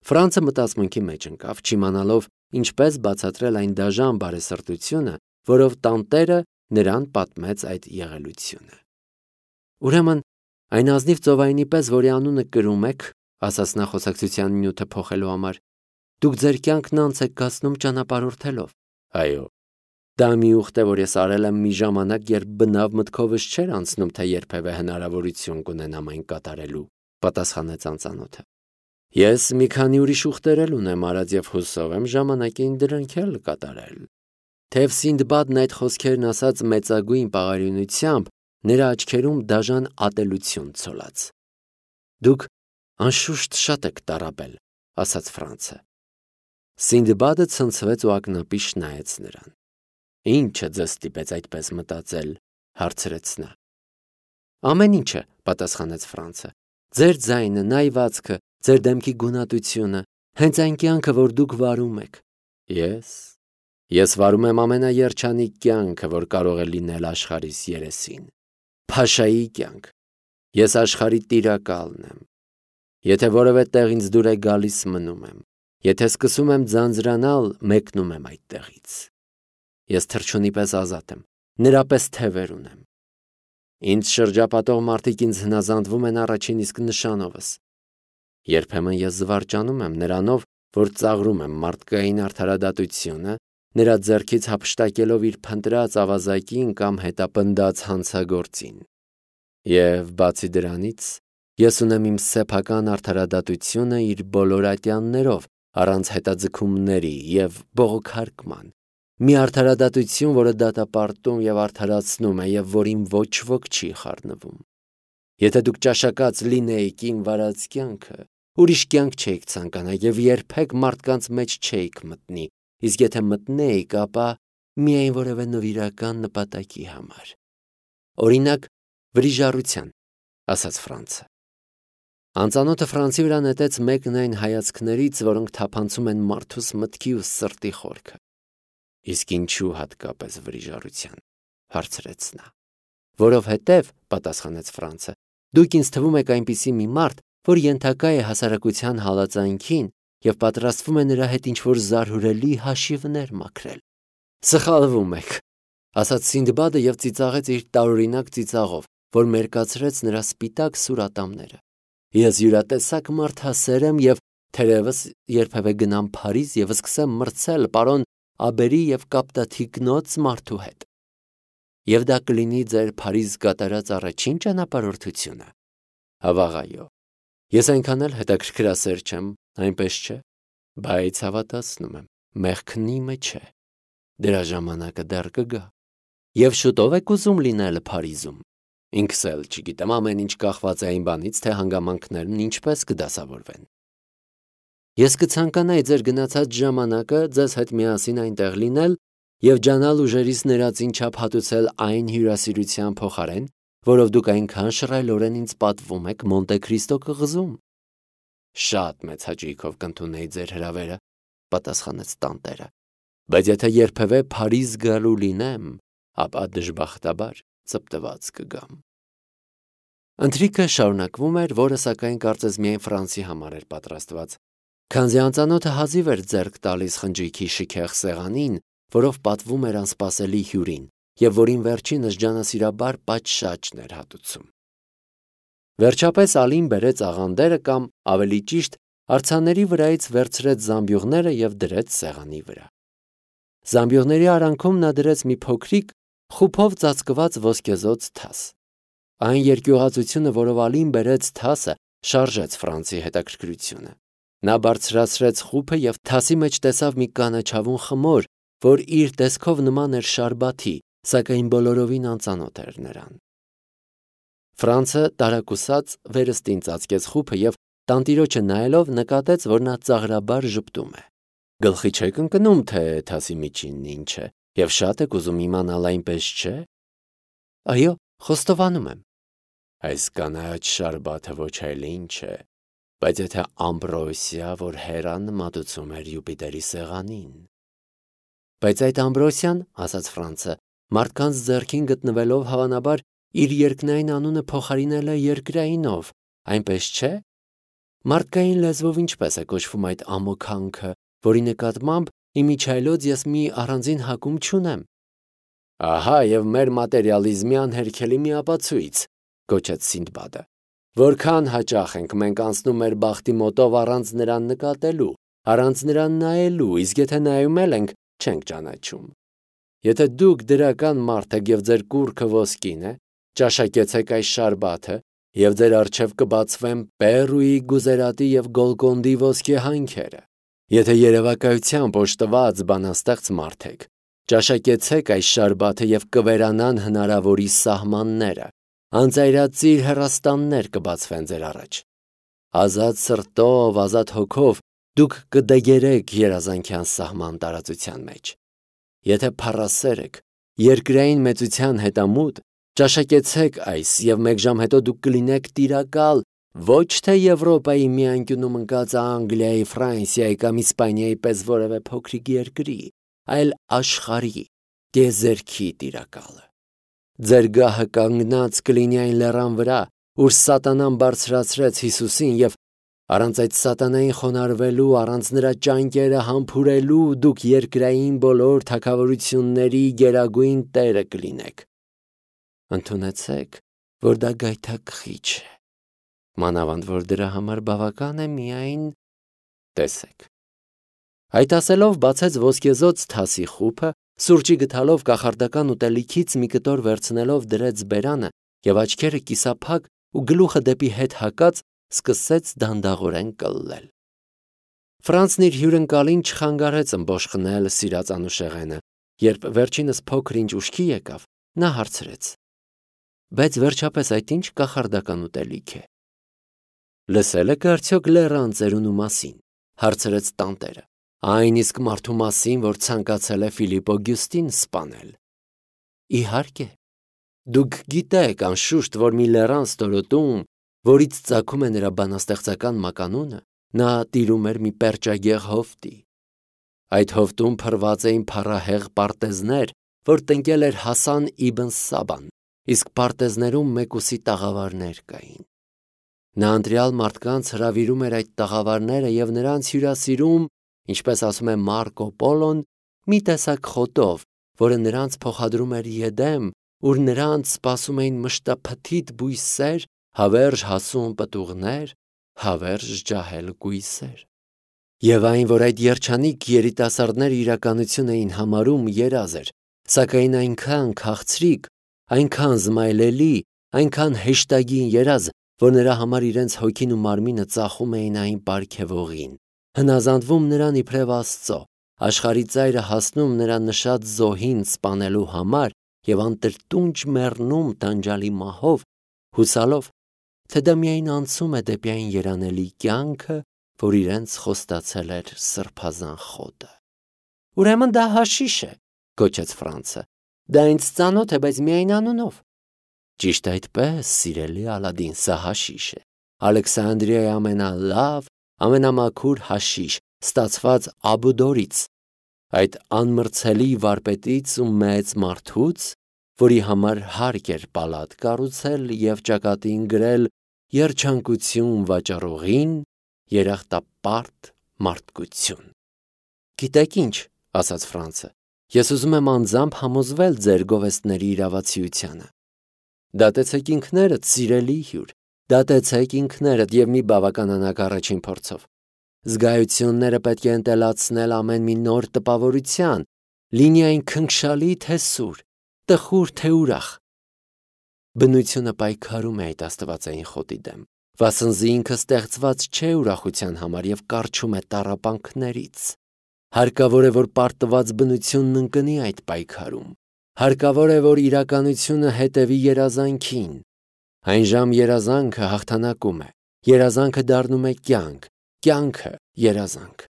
Ֆրանցը մտածմունքի մեջ ընկավ, չիմանալով ինչպես բացատրել այն դաժան բարեսրտությունը, որով տանտերը նրան պատմեց այդ եղելությունը։ Ուրեմն, այն ազնիվ ծովայինի պես, որի անունը կրում եք, ասաց նա խոսակցության նյութը փոխելու համար, դուք ձեր կյանքն անց եք կացնում ճանապարհորդելով։ Այո, դա մի ուխտ է, որ ես արել եմ մի ժամանակ, երբ բնավ մտքովս չէր անցնում, թե երբևէ հնարավորություն կունենամ այն կատարելու, պատասխանեց անծանոթը։ Ես մի քանի ուրիշ ուխտեր էլ ունեմ արած եւ հուսով եմ ժամանակին դրանք էլ կատարել։ Թեև Սինդբադն այդ խոսքերն ասաց մեծագույն պաղարյունությամբ, նրա աչքերում դաժան ատելություն ցոլած։ Դուք անշուշտ շատ եք տառապել, ասաց Ֆրանցը։ Սինդբադը ցնցվեց ու ակնապիշ նայեց նրան։ Ինչը ձեզ ստիպեց այդպես մտածել, հարցրեց նա։ Ամեն ինչը, պատասխանեց Ֆրանցը։ Ձեր ձայնը, նայվածքը, ձեր դեմքի գունատությունը, հենց այն կյանքը, որ դուք վարում եք։ Ես վարում եմ ամենաերջանիկ կյանքը, որ կարող է լինել աշխարհիս երեսին։ Փաշայի կյանք։ Ես աշխարհի տիրակալն եմ։ Եթե որևէ տեղ ինձ դուր է գալիս, մնում եմ։ Եթե սկսում եմ ձանձրանալ, մեկնում եմ այդտեղից։ Ես թռչունի պես ազատ եմ, նրա պես թևեր ունեմ։ Ինձ շրջապատող մարդիկ ինձ հնազանդվում են առաջին իսկ նշանովս։ Երբեմն ես զվարճանում եմ նրանով, որ ծաղրում եմ մարդկային արդարադատությունը, նրա ձեռքից հափշտակելով իր փնտրած ավազակին կամ հետապնդած հանցագործին։ Եվ բացի դրանից, ես ունեմ իմ սեփական արդարադատությունը իր բոլոր ատյաններով, առանց հետաձգումների եւ բողոքարկման։ Մի արդարադատություն, որը դատապարտում եւ արդարացնում է եւ որին ոչ ոք չի խառնվում։ Եթե դուք ճաշակած լինեիք իմ վարած կյանքը, ուրիշ կյանք չէիք ցանկանա եւ երբեք մարդկանց մեջ չէիք մտնի, իսկ եթե մտնեիք, ապա միայն որևէ նվիրական նպատակի համար։ Օրինակ, վրիժառության, ասաց Ֆրանցը։ Անծանոթը Ֆրանցի վրա նետեց մեկն այն հայացքներից, որոնք թափանցում են մարդուս մտքի ու սրտի խորքը։ Իսկ ինչու հատկապես վրիժառության, հարցրեց նա։ Որովհետև, պատասխանեց Ֆրանցը, դուք ինձ թվում եք այնպիսի մի մարդ, որ ենթակա է հասարակության հալածանքին եւ պատրաստվում է նրա հետ ինչ-որ զարհուրելի հաշիվներ մաքրել։ Սխալվում եք, ասաց Սինդբադը եւ ծիծաղեց իր տարօրինակ ծիծաղով, որ մերկացրեց նրա սպիտակ սուր ատամները։ Ես յուրատեսակ մարդասեր եմ եւ թերևս երբևէ գնամ Փարիզ եւ սկսեմ մրցել պարոն Աբերի եւ կապտաթիկնոց մարդու հետ։ Եվ դա կլինի ձեր Փարիզ կատարած առաջին ճանապարհորդությունը։ Հավաղայո։ Ես այնքան էլ հետաքրքրասեր չեմ, այնպես չէ, բայց հավատացնում եմ, մեղքն իմը չէ։ Դրա ժամանակը դեռ կգա։ Եվ շուտով եք ուզում լինել Փարիզում։ Ինքս էլ չգիտեմ, ամեն ինչ կախված է այն բանից, թե հանգամանքներն ինչպես կդասավորվեն։ Ես կցանկանայի ձեր գնացած ժամանակը ձեզ հետ միասին այնտեղ լինել եւ ջանալ ուժերից ներածին չափ հատուցել այն հյուրասիրության փոխարեն, որով դուք այնքան շռայլորեն ինձ պատվում եք Մոնտե Քրիստո կղզում։ Շատ մեծ հաճույքով կընդունեի ձեր հրավերը, պատասխանեց տանտերը։ Բայց եթե երբևէ Փարիզ գալու լինեմ, ապա դժբախտաբար ծպտված կգամ։ Ընթրիքը շարունակվում էր, որը սակայն կարծես միայն Ֆրանսի համար էր պատրաստված, քանզի անծանոթը հազիվ էր ձեռք տալիս խնջույքի շքեղ սեղանին, որով պատվում էր անսպասելի հյուրին, եւ որին վերջինս ջանասիրաբար պատշաճն էր հատուցում։ Վերջապես Ալին բերեց աղանդերը կամ ավելի ճիշտ արձանների վրայից վերցրեց զամբյուղները եւ դրեց սեղանի վրա։ Զամբյուղների արանքում նա դրեց մի փոքրիկ խուփով ծածկված ոսկեզոծ թաս։ Այն երկյուղածությունը, որով Ալին բերեց թասը, շարժեց Ֆրանցի հետաքրքրությունը։ Նա բարձրացրեց խուփը եւ թասի մեջ տեսավ մի կանաչավուն խմոր, որ իր տեսքով նման էր շարբաթի, սակայն բոլորովին անծանոթ էր նրան։ Ֆրանցը տարակուսած վերստին ծածկեց խուփը եւ տանտիրոջը նայելով նկատեց, որ նա ծաղրաբար ժպտում է։ Գլխի չեք ընկնում, թե թասի միջինն ինչ է, եւ շատ եք ուզում իմանալ, այնպես չէ։ Այո, խոստովանում եմ։ Այս կանաչ շարբաթը ոչ այլ ինչ է, բայց եթե ամբրոսիա, որ Հերան մատուցում էր Յուպիտերի սեղանին։ Բայց այդ ամբրոսիան, ասաց Ֆրանցը, մարդկանց ձեռքին գտնվելով հավանաբար իր երկնային անունը փոխարինել է երկրայինով, այնպես չէ։ Մարդկային լեզվով ինչպես է կոչվում այդ ամոքանքը, որի նկատմամբ իմիջիայլոց ես մի առանձին հակում չունեմ։ Ահա եւ մեր մատերիալիզմի անհերքելի մի ապացույց, գոչեց Սինդբադը։ Որքան հաճախ ենք մենք անցնում մեր բախտի մոտով առանց նրան նկատելու, առանց նրան նայելու, իսկ եթե նայում ենք, չենք ճանաչում։ Եթե դուք դրական մարդ եք եւ ձեր կուռքը ոսկին է, ճաշակեցեք այս շարբաթը եւ ձեր առջև կբացվեն Պերուի, Գուզերատի եւ Գոլկոնդի ոսկե հանքերը։ Եթե երևակայությամբ օժտված բանաստեղծ մարդ եք, ճաշակեցեք այս շարբաթը եւ կվերանան հնարավորի սահմանները, անծայրածիր հեռաստաններ կբացվեն ձեր առաջ։ Ազատ սրտով, ազատ հոգով դուք կդեգերեք երազանքյան սահման տարածության մեջ։ Եթե փառասեր եք, երկրային մեծության հետամուտ, ճաշակեցեք այս եւ մեկ ժամ հետո դուք կլինեք տիրակալ ոչ թե Եվրոպայի մի անկյունում ընկած Անգլիայի, Ֆրանսիայի կամ Իսպանիայի պես որևէ փոքրիկ երկրի, այլ աշխարհի, գեզերքի տիրակալը։ Ձեր գահը կանգնած կլինի այն լեռան վրա, ուր սատանան բարձրացրեց Հիսուսին եւ առանց այդ սատանային խոնարհվելու, առանց նրա ճանկերը համբուրելու դուք երկրային բոլոր թագավորությունների գերագույն տերը կլինեք։ Ընդունեցեք, որ դա գայթակղիչ է, մանավանդ որ դրա համար բավական է միայն տեսեք։ Այդ ասելով բացեց ոսկեզոծ թասի խուփը, սուրճի գթալով կախարդական ուտելիքից մի կտոր վերցնելով դրեց բերանը եւ աչքերը կիսափակ ու գլուխը դեպի հետ հակած սկսեց դանդաղորեն կլլել։ Ֆրանցն իր հյուրընկալին չխանգարեց ըմբոշխնել սիրած անուշեղենը, երբ վերջինս փոքր ինչ ուշքի եկավ, նա հարցրեց. Բայց վերջապես այդ ինչ կախարդական ուտելիք է։ Լսել եք արդյոք լեռան ծերունու մասին, հարցրեց տանտերը, այն իսկ մարդու մասին, որ ցանկացել է Ֆիլիպ Օգյուստին սպանել։ Իհարկե, դուք գիտեք անշուշտ, որ մի լեռան ստորոտում, որից ծագում է նրա բանաստեղծական մականունը, նա տիրում էր մի պերճագեղ հովտի։ Այդ հովտում փռված էին փառահեղ պարտեզներ, որ տնկել էր Հասան իբն Սաբան, իսկ պարտեզներում մեկուսի տաղավարներ կային։ Նա ընտրյալ մարդկանց հրավիրում էր այդ տաղավարները եւ նրանց հյուրասիրում, ինչպես ասում է Մարկո Պոլոն, մի տեսակ խոտով, որը նրանց փոխադրում էր Եդեմ, ուր նրանց սպասում էին մշտափթիթ բույսեր, հավերժ հասուն պտուղներ, հավերժ ջահել կույսեր։ Եվ այն, որ այդ երջանիկ երիտասարդները իրականություն էին համարում, երազ էր, սակայն այնքան քաղցրիկ, այնքան զմայլելի, այնքան հեշտագին երազ, որ նրա համար իրենց հոգին ու մարմինը ծախում էին այն պարգևողին, հնազանդվում նրան իբրև Աստծո, աշխարհի ծայրը հասնում նրա նշած զոհին սպանելու համար եւ անտրտունջ մեռնում տանջալի մահով, հուսալով, թե դա միայն անցում է դեպի այն երանելի կյանքը, որ իրենց խոստացել էր սրբազան խոտը։ Ուրեմն դա հաշիշ է, գոչեց Ֆրանցը։ Դա ինձ ծանոթ է, բայց միայն անունով։ Ճիշտ այդպես, սիրելի Ալադին, սա հաշիշ է։ Ալեքսանդրիայի ամենալավ, ամենամաքուր հաշիշ, ստացված Աբուդորից, այդ անմրցելի վարպետից ու մեծ մարդուց, որի համար հարկ էր պալատ կառուցել եւ ճակատին գրել երջանկություն վաճառողին, երախտապարտ մարդկություն։ Գիտեք ինչ, ասաց Ֆրանցը, ես ուզում եմ անձամբ համոզվել ձեր գովեստների իրավացիությանը։ Դատեցեք ինքներդ, սիրելի հյուր, դատեցեք ինքներդ եւ մի բավականանակ առաջին փորձով։ Զգայությունները պետք է ընտելացնել ամեն մի նոր տպավորության, լինի այն քնքշալի թե սուր, տխուր թե ուրախ։ Բնությունը պայքարում է այդ աստվածային խոտի դեմ, վասնզի ինքը ստեղծված չէ ուրախության համար եւ կարճում է տառապանքներից։ Հարկավոր է, որ պարտված բնությունն ընկնի այդ պայքարում։ Հարկավոր է, որ իրականությունը հետևի երազանքին։ Այն ժամ երազանքը հաղթանակում է, երազանքը դառնում է կյանք, կյանքը երազանք։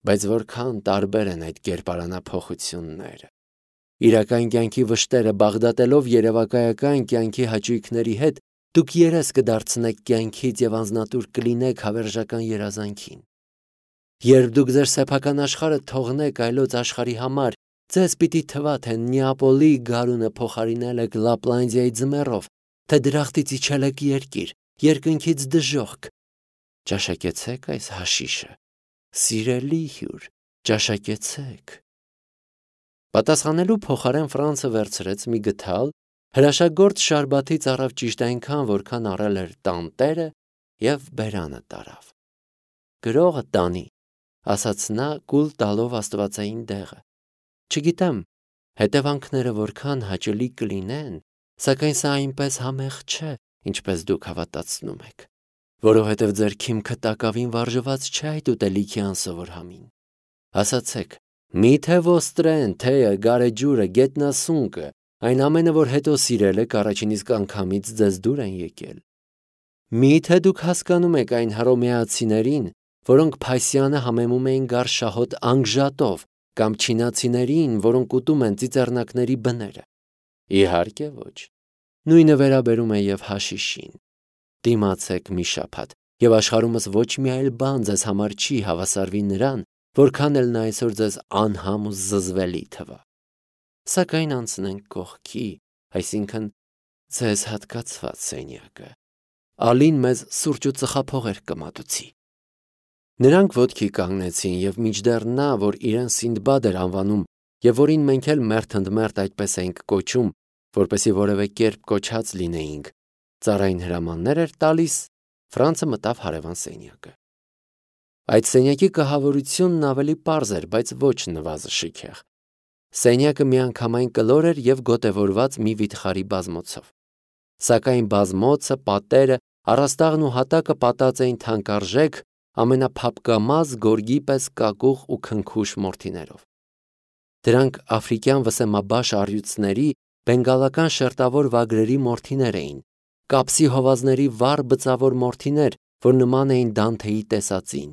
Բայց որքան տարբեր են այդ կերպարանափոխությունները։ Իրական կյանքի վշտերը բաղդատելով երևակայական կյանքի հաճույքների հետ, դուք երես կդարձնեք կյանքից եւ անznատուր կլինեք հավերժական երազանքին։ Երբ դուք ձեր սեփական աշխարհը թողնեք այլոց աշխարհի համար, ձեզ պիտի թվա, թե Նեապոլի գարունը փոխարինել եք Լապլանդիայի ձմեռով, թե դրախտից իջել եք երկիր, երկնքից դժոխք։ ճաշակեցեք այս հաշիշը, սիրելի հյուր, ճաշակեցեք։ Պատասխանելու փոխարեն Ֆրանցը վերցրեց մի գդալ, հրաշագործ շարբաթից առավ ճիշտ այնքան, որքան առել էր տանտերը և բերանը տարավ։ Գրողը տանի, ասաց նա կուլ տալով աստվածային դեղը։ Չգիտեմ, հետևանքները որքան հաճելի կլինեն, սակայն սա այնպես համեղ չէ, ինչպես դուք հավատացնում եք, որովհետև ձեր քիմքը տակավին վարժված չէ այդ ուտելիքի անսովոր համին։ Ասացեք, միթե ոստրեն, թեյը, գարեջուրը, գետնասունկը, այն ամենը, որ հետո սիրել եք, առաջին իսկ անգամից ձեզ դուր են եկել։ Միթե դուք հասկանում եք այն հռոմեացիներին, որոնք Փասյանը համեմում էին գարշահոտ անգժատով, կամ չինացիներին, որոնք ուտում են ծիծեռնակների բները։ Իհարկե ոչ։ Նույնը վերաբերում է և հաշիշին։ Դիմացեք մի շաբաթ, և աշխարհումս ոչ մի այլ բան ձեզ համար չի հավասարվի նրան, որքան էլ նա այսօր ձեզ անհամ ու զզվելի թվա։ Սակայն անցնենք կողքի, այսինքն ձեզ հատկացված սենյակը։ Ալին մեզ սուրճ ու ծխափողեր կմատուցի։ Նրանք ոտքի կանգնեցին, և մինչդեռ նա, որ իրեն Սինդբադ էր անվանում, և որին մենք էլ մերթընդմերթ այդպես էինք կոչում, որպեսզի որևէ կերպ կոչած լինեինք, ծառային հրամաններ էր տալիս, Ֆրանցը մտավ հարևան սենյակը։ Այդ սենյակի կահավորությունն ավելի պարզ էր, բայց ոչ նվազշիքեղ։ Սենյակը միանգամայն կլոր էր և գոտևորված մի վիթխարի բազմոցով։ Սակայն բազմոցը, պատերը, առաստաղն ու հատակը պատած էին թանկարժեք, ամենափափկամազ գորգի պես կակուղ ու քնքուշ մորթիներով։ Դրանք աֆրիկյան վսեմաբաշ առյուծների, բենգալական շերտավոր վագրերի մորթիներ էին, կապսի հովազների վառ բծավոր մորթիներ, որ նման էին Դանթեի տեսածին,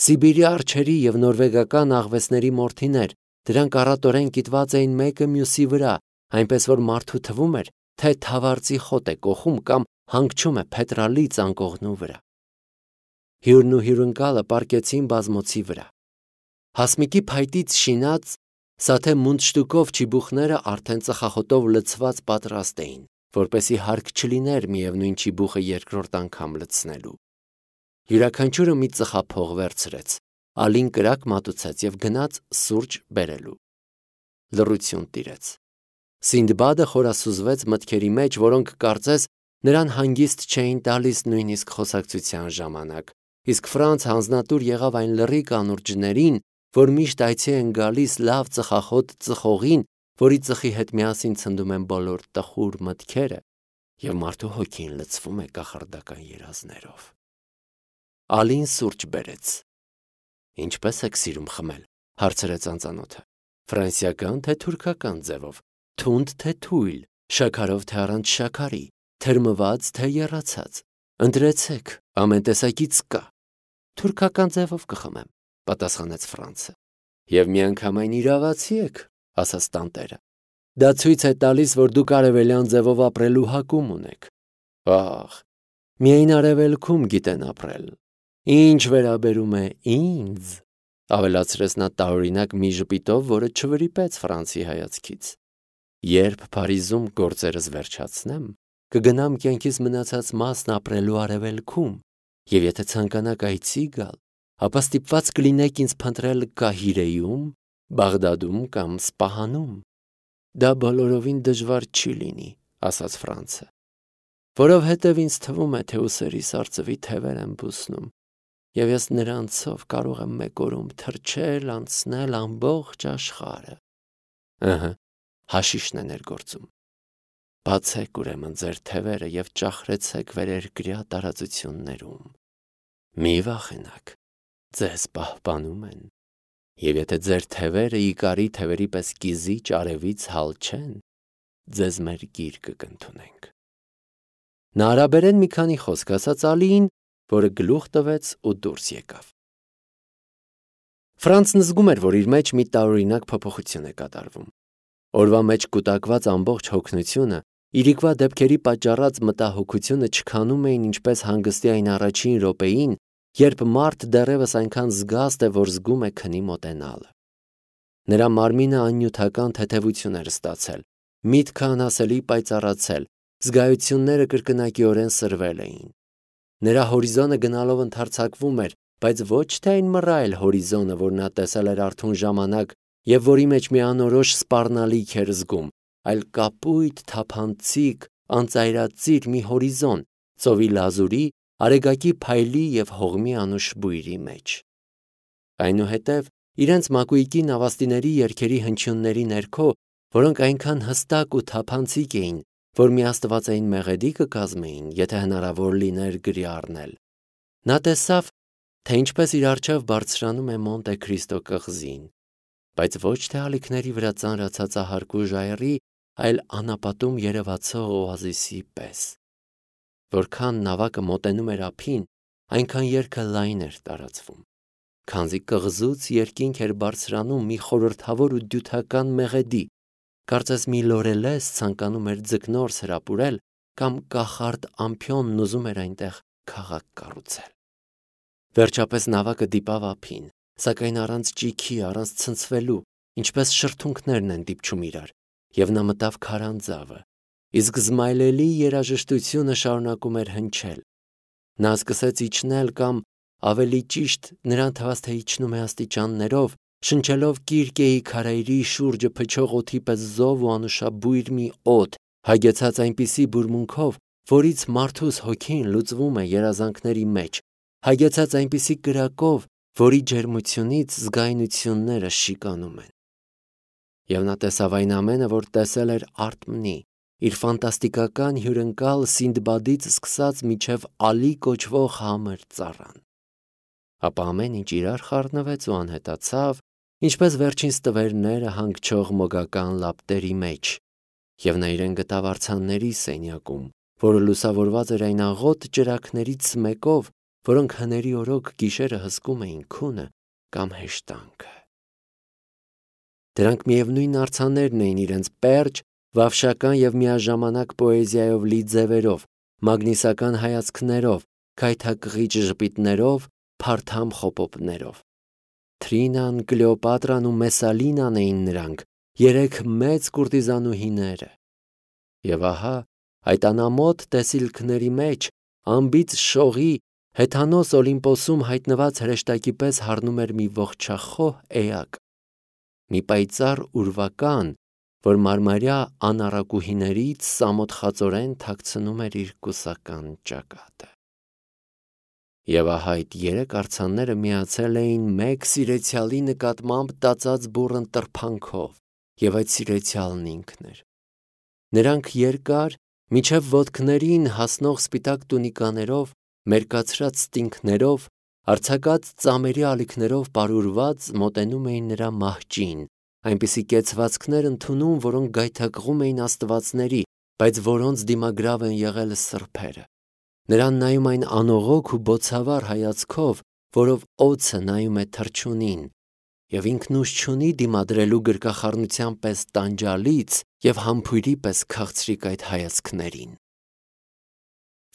Սիբիրի արջերի և նորվեգական աղվեսների մորթիներ, դրանք առատորեն կիտված էին մեկը մյուսի վրա, այնպես որ մարդու թվում էր, թե թավարձի խոտ է կոխում կամ հանգչում է փետրալի ծանկողնու վրա։ Հյուրն ու հյուրընկալը պառկեցին բազմոցի վրա։ Հասմիկի փայտից շինած սաթե մունդշտուկով չիբուխները արդեն ծխախոտով լցված պատրաստ էին, որպեսզի հարկ չլիներ միևնույն չիբուխը երկրորդ անգամ լցնելու։ Յուրաքանչյուրը մի ծխափող վերցրեց, Ալին կրակ մատուցեց և գնաց սուրճ բերելու։ Լռություն տիրեց։ Սինդբադը խորասուզվեց մտքերի մեջ, որոնք կարծես նրան հանգիստ չէին տալիս նույնիսկ խոսակցության ժամանակ, իսկ Ֆրանց հանձնատուր եղավ այն լռի կանուրջներին, որ միշտ այցի են գալիս լավ ծխախոտ ծխողին, որի ծխի հետ միասին ցնդում են բոլոր տխուր մտքերը, և մարդու հոգին լցվում է կախարդական երազներով։ Ալին սուրճ բերեց։ Ինչպե՞ս եք սիրում խմել, հարցրեց անծանոթը։ Ֆրանսիական թե թուրքական ձևով, թունդ թե թույլ, շաքարով թե առանց շաքարի, թրմված թե եռացած։ Ընտրեցեք, ամեն տեսակից կա։ Թուրքական ձևով կխմեմ, պատասխանեց Ֆրանցը։ Եվ միանգամայն իրավացի եք, ասաց տանտերը։ Դա ցույց է տալիս, որ դուք արևելյան ձևով ապրելու հակում ունեք։ Ահ, միայն արևելքում գիտեն ապրել։ Ինչ վերաբերում է ինձ, ավելացրեց նա տարօրինակ մի ժպիտով, որը չվրիպեց Ֆրանցի հայացքից։ Երբ Փարիզում գործերս վերջացնեմ, կգնամ կյանքիս մնացած մասն ապրելու արևելքում, և եթե ցանկանաք այցի գալ, ապա ստիպված կլինեք ինձ փնտրել Կահիրեում, Բաղդադում կամ Սպահանում։ Դա բոլորովին դժվար չի լինի, ասաց Ֆրանցը, որովհետև ինձ թվում է, թե ուսերիս արծվի թևեր եմ բուսնում, և ես նրանցով կարող եմ մեկ օրում թրջել, անցնել ամբողջ աշխարհը։ Ըհը, հաշիշն է ներգործում։ Բացեք ուրեմն ձեր թևերը և ճախրեցեք վերերկրյա տարածություններում։ Մի վախենաք, ձեզ պահպանում են, և եթե ձեր թևերը Իկարի թևերի պես կիզիչ արևից հալ չեն, ձեզ մեր գիրկը կընդունենք։ Նա արաբերեն մի քանի խոսք ասաց Ալիին, որը գլուխ տվեց ու դուրս եկավ։ Ֆրանցն զգում էր, որ իր մեջ մի տարօրինակ փոփոխություն է կատարվում։ Օրվա մեջ կուտակված ամբողջ հոգնությունը, իրիկվա դեպքերի պատճառած մտահոգությունը չքանում էին ինչպես հանգստի այն առաջին րոպեին, երբ մարդ դեռևս այնքան զգաստ է, որ զգում է քնի մոտենալը։ Նրա մարմինը աննյութական թեթևություն էր ստացել, միտքը անասելի պայծառացել, զգայությունները կրկնակիորեն սրվել էին։ Նրա հորիզոնը գնալով ընդարձակվում էր, բայց ոչ թե այն մռայլ հորիզոնը, որ նա տեսել էր արթուն ժամանակ և որի մեջ մի անորոշ սպառնալիք էր զգում, այլ կապույտ, թափանցիկ, անծայրածիր մի հորիզոն, ծովի լազուրի, արեգակի փայլի և հողմի անուշ բույրի մեջ։ Այնուհետև իրենց մակույկի նավաստիների երգերի հնչյունների ներքո, որոնք այնքան հստակ ու թափանցիկ էին, որ մի աստվածային մեղեդի կկազմեին, եթե հնարավոր լիներ գրի առնել, նա տեսավ, թե ինչպես իր առջև բարձրանում է Մոնտե Քրիստո կղզին, բայց ոչ թե ալիքների վրա ծանրացած ահարկու ժայռի, այլ անապատում երևացող օազիսի պես։ Որքան նավակը մոտենում էր ափին, այնքան երգը լայն էր տարածվում, քանզի կղզուց երկինք էր բարձրանում մի խորհրդավոր ու դյութական մեղեդի, կարծես մի լորելես ցանկանում էր ձկնորս հրապուրել կամ կախարդ ամփյոնն ուզում էր այնտեղ քաղաք կառուցել։ Վերջապես նավակը դիպավ ափին, սակայն առանց ճիգի, առանց ցնցվելու, ինչպես շրթունքներն են դիպչում իրար, և նա մտավ քարանձավը, իսկ զմայլելի երաժշտությունը շարունակում էր հնչել։ Նա սկսեց իջնել կամ, ավելի ճիշտ, նրան թվաց, թե իջնում է աստիճաններով, շնչելով Կիրկեի քարայրի շուրջը փչող օդի պես զով ու անուշաբույր մի օդ, հագեցած այնպիսի բուրմունքով, որից մարդուս հոգին լուծվում է երազանքների մեջ, հագեցած այնպիսի կրակով, որի ջերմությունից զգայունությունները շիկանում են։ Եվ նա տեսավ այն ամենը, որ տեսել էր Արթմնի, իր ֆանտաստիկական հյուրընկալ Սինդբադից սկսած մինչև Ալի կոչվող համր ծառան։ Ապա ամեն ինչ իրար խառնվեց ու անհետացավ, ինչպես վերջին ստվերները հանգչող մոգական լապտերի մեջ, և նա իրեն գտավ արձանների սենյակում, որը լուսավորված էր այն աղոտ ճրագներից մեկով, որոնք հների օրոք գիշերը հսկում էին քունը կամ հեշտանքը։ Դրանք միևնույն արձաններն էին իրենց պերճ, վավշական և միաժամանակ պոեզիայով լի ձևերով, մագնիսական հայացքներով, քայթակղիչ ժպիտներով, փարթամ խոպոպներով։ Թրինան, Կլեոպատրան ու Մեսալինան էին նրանք, երեք մեծ կուրտիզանուհիները։ Եվ ահա, այդ անամոթ տեսիլքների մեջ, անբիծ շողի, հեթանոս Օլիմպոսում հայտնված հրեշտակի պես հառնում էր մի ողջախոհ էակ, մի պայծառ ուրվական, որ մարմարյա անառակուհիներից սամոթխածորեն թաքցնում էր իր կուսական ճակատը։ Եվ ահա այդ երեք արձանները միացել էին մեկ սիրեցյալի նկատմամբ տածած բուռն տրփանքով, և այդ սիրեցյալն ինքն էր։ Նրանք երկար, մինչև ոտքներին հասնող սպիտակ տունիկաներով, մերկացրած ստինգներով, արձակած ծամերի ալիքներով պարուրված մոտենում էին նրա մահճին, այնպիսի կեցվածքներ ընդունում, որոնք գայթակղում էին աստվածների, բայց որոնց դիմագրավ են եղել սրբերը։ Նրան նայում այն անողոք ու բոցավառ հայացքով, որով օձը նայում է թռչունին, և ինքն ուժ չունի դիմադրելու գրկախառնության պես տանջալից և համբույրի պես քաղցրիկ այդ հայացքներին։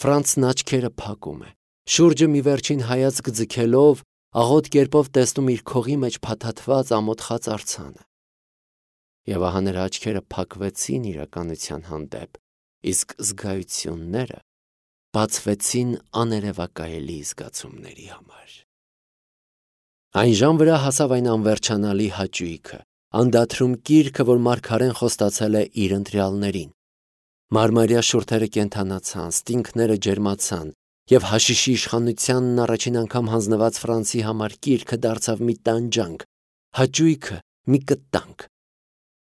Ֆրանցն աչքերը փակում է, շուրջը մի վերջին հայացք ձգելով, աղոտ կերպով տեսնում իր քողի մեջ փաթաթված ամոթխած արձանը։ Եվ ահա նրա աչքերը փակվեցին իրականության հանդեպ, իսկ զգայությունները բացվեցին աներևակայելի զգացումների համար։ Այն ժամ վրա հասավ այն անվերջանալի հաճույքը, անդադրում կիրքը, որ մարգարեն խոստացել է իր ընտրյալներին։ Մարմարյա շուրթերը կենդանացան, ստինգները ջերմացան, և հաշիշի իշխանությանն առաջին անգամ հանձնված Ֆրանսի համար կիրքը դարձավ մի տանջանք, հաճույքը մի կտանք։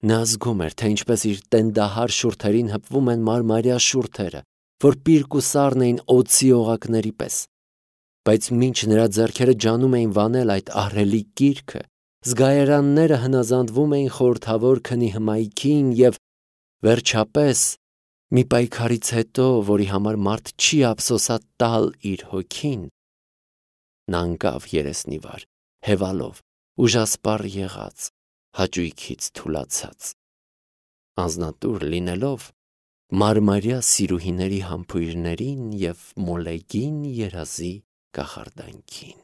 Նա զգում էր, թե ինչպես իր տենդահար շուրթերին հպվում են մարմարյա շուրթերը, որ պիրկ ու սառն էին օձի օղակների պես։ Բայց մինչ նրա ձեռքերը ջանում էին վանել այդ ահռելի կիրքը, զգայարանները հնազանդվում էին խորհրդավոր քնի հմայքին և, վերջապես, մի պայքարից հետո, որի համար մարդ չի ափսոսա տալ իր հոգին, նա ընկավ երեսնի վար, հևալով, ուժասպառ եղած, հաճույքից թուլացած, անձնատուր լինելով մարմարյա սիրուհիների համբույրներին և մոլեգին երազի կախարդանքին։